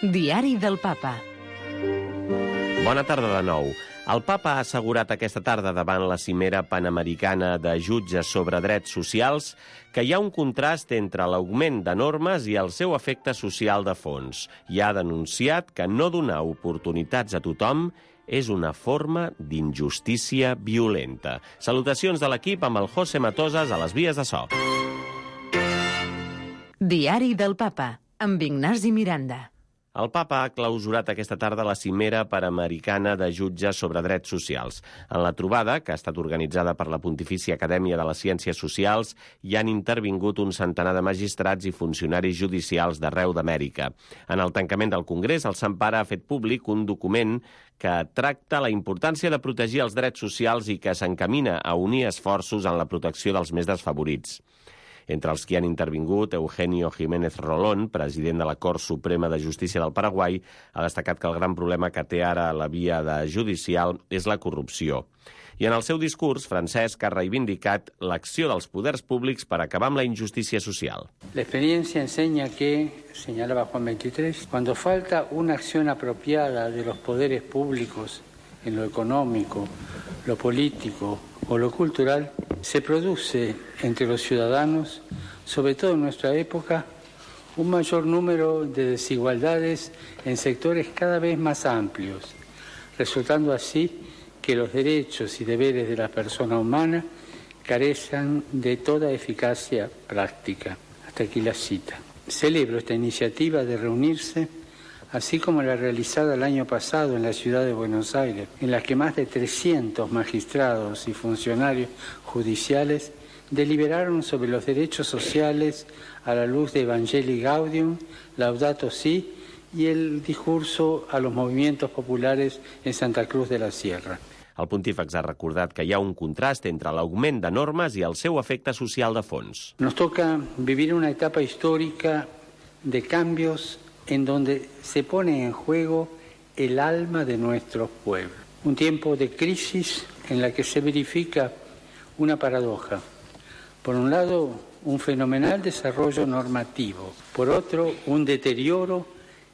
Diari del Papa. Bona tarda de nou. El Papa ha assegurat aquesta tarda davant la cimera panamericana de jutges sobre drets socials que hi ha un contrast entre l'augment de normes i el seu efecte social de fons. I ha denunciat que no donar oportunitats a tothom és una forma d'injustícia violenta. Salutacions de l'equip amb el José Matosas a les vies de so. Diari del Papa, amb Ignasi Miranda. El Papa ha clausurat aquesta tarda la cimera panamericana de jutges sobre drets socials. En la trobada, que ha estat organitzada per la Pontifícia Acadèmia de les Ciències Socials, hi han intervingut un centenar de magistrats i funcionaris judicials d'arreu d'Amèrica. En el tancament del Congrés, el Sant Pare ha fet públic un document que tracta la importància de protegir els drets socials i que s'encamina a unir esforços en la protecció dels més desfavorits. Entre els que han intervingut, Eugenio Jiménez Rolón, president de la Cort Suprema de Justícia del Paraguai, ha destacat que el gran problema que té ara la via judicial és la corrupció. I en el seu discurs, Francesc ha reivindicat l'acció dels poders públics per acabar amb la injustícia social. La experiencia enseña que, señalaba Juan 23, cuando falta una acción apropiada de los poderes públicos en lo económico, lo político o lo cultural, se produce entre los ciudadanos, sobre todo en nuestra época, un mayor número de desigualdades en sectores cada vez más amplios, resultando así que los derechos y deberes de la persona humana carecen de toda eficacia práctica. Hasta aquí la cita. Celebro esta iniciativa de reunirse, así como la realizada el año pasado en la ciudad de Buenos Aires, en la que más de 300 magistrados y funcionarios judiciales deliberaron sobre los derechos sociales a la luz de Evangelii Gaudium, Laudato Si y el discurso a los movimientos populares en Santa Cruz de la Sierra. El pontífex ha recordat que hi ha un contrast entre l'augment de normes i el seu efecte social de fons. Nos toca vivir una etapa histórica de cambios en donde se pone en juego el alma de nuestro pueblo. Un tiempo de crisis en la que se verifica una paradoja. Por un lado, un fenomenal desarrollo normativo. Por otro, un deterioro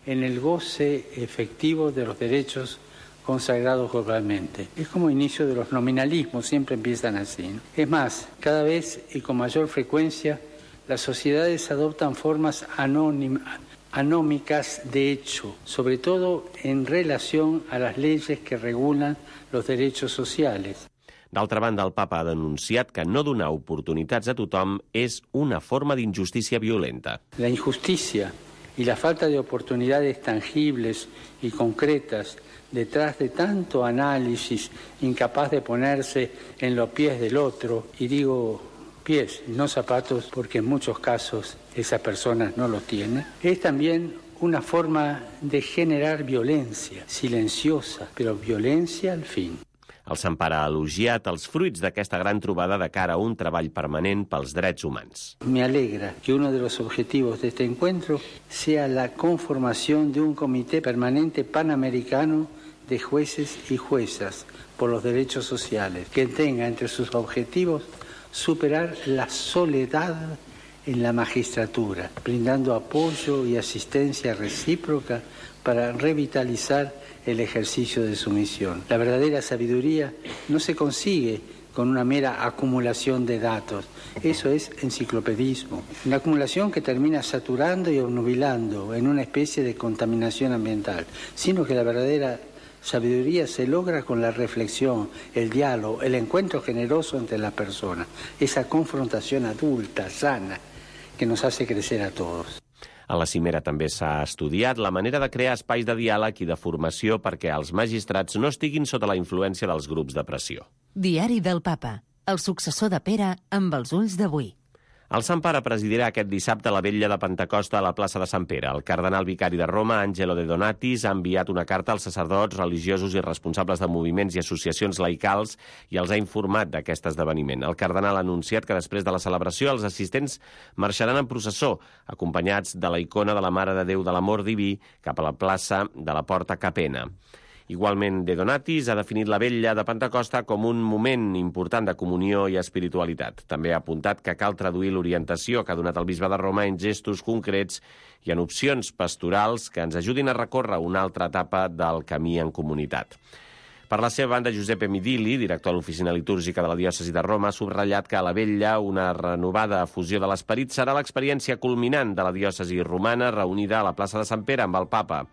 en el goce efectivo de los derechos consagrados globalmente. Es como inicio de los nominalismos, siempre empiezan así, ¿no? Es más, cada vez y con mayor frecuencia, las sociedades adoptan formas anómicas de hecho, sobre todo en relación a las leyes que regulan los derechos sociales. D'altra banda, el Papa ha denunciat que no donar oportunitats a tothom és una forma d'injustícia violenta. La injusticia y la falta de oportunidades tangibles y concretas detrás de tanto análisis incapaz de ponerse en los pies del otro, y digo pies, no zapatos, porque en muchos casos esas personas no los tienen, es también una forma de generar violencia, silenciosa, pero violencia al fin. El Sant Pare ha elogiat els fruits d'aquesta gran trobada de cara a un treball permanent pels drets humans. Me alegra que uno de los objetivos de este encuentro sea la conformación de un comité permanente panamericano de jueces y juezas por los derechos sociales, que tenga entre sus objetivos superar la soledad en la magistratura, brindando apoyo y asistencia recíproca para revitalizar el ejercicio de su misión. La verdadera sabiduría no se consigue con una mera acumulación de datos. Eso es enciclopedismo. Una acumulación que termina saturando y obnubilando en una especie de contaminación ambiental, sino que la verdadera sabiduría se logra con la reflexión, el diálogo, el encuentro generoso entre las personas, esa confrontación adulta, sana, que nos hace crecer a todos. A la cimera també s'ha estudiat la manera de crear espais de diàleg i de formació perquè els magistrats no estiguin sota la influència dels grups de pressió. Diari del Papa, el successor de Pere amb els ulls d'avui. El Sant Pare presidirà aquest dissabte la vetlla de Pentecosta a la plaça de Sant Pere. El cardenal vicari de Roma, Angelo De Donatis, ha enviat una carta als sacerdots, religiosos i responsables de moviments i associacions laicals i els ha informat d'aquest esdeveniment. El cardenal ha anunciat que després de la celebració els assistents marxaran en processó, acompanyats de la icona de la Mare de Déu de l'Amor Diví, cap a la plaça de la Porta Capena. Igualment, De Donatis ha definit la vetlla de Pentecosta com un moment important de comunió i espiritualitat. També ha apuntat que cal traduir l'orientació que ha donat el bisbe de Roma en gestos concrets i en opcions pastorals que ens ajudin a recórrer una altra etapa del camí en comunitat. Per la seva banda, Giuseppe Midili, director de l'Oficina Litúrgica de la Diòcesi de Roma, ha subratllat que a la vetlla una renovada fusió de l'esperit serà l'experiència culminant de la diòcesi romana reunida a la plaça de Sant Pere amb el papa.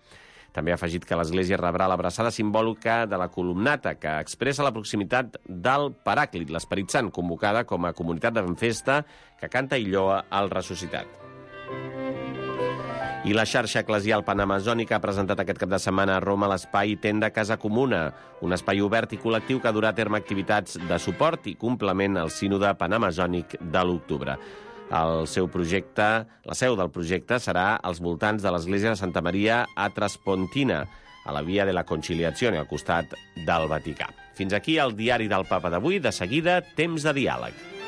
També ha afegit que l'Església rebrà l'abraçada simbòlica de la columnata, que expressa la proximitat del Paràclit, l'Esperit Sant, convocada com a comunitat de festa que canta i lloa al ressuscitat. I la xarxa eclesial panamazònica ha presentat aquest cap de setmana a Roma l'espai Tenda Casa Comuna, un espai obert i col·lectiu que durà a terme activitats de suport i complement al sínode panamazònic de l'octubre. La seu del projecte serà als voltants de l'església de Santa Maria a Traspontina, a la Via de la Conciliazione, al costat del Vaticà. Fins aquí el diari del Papa d'avui. De seguida, temps de diàleg.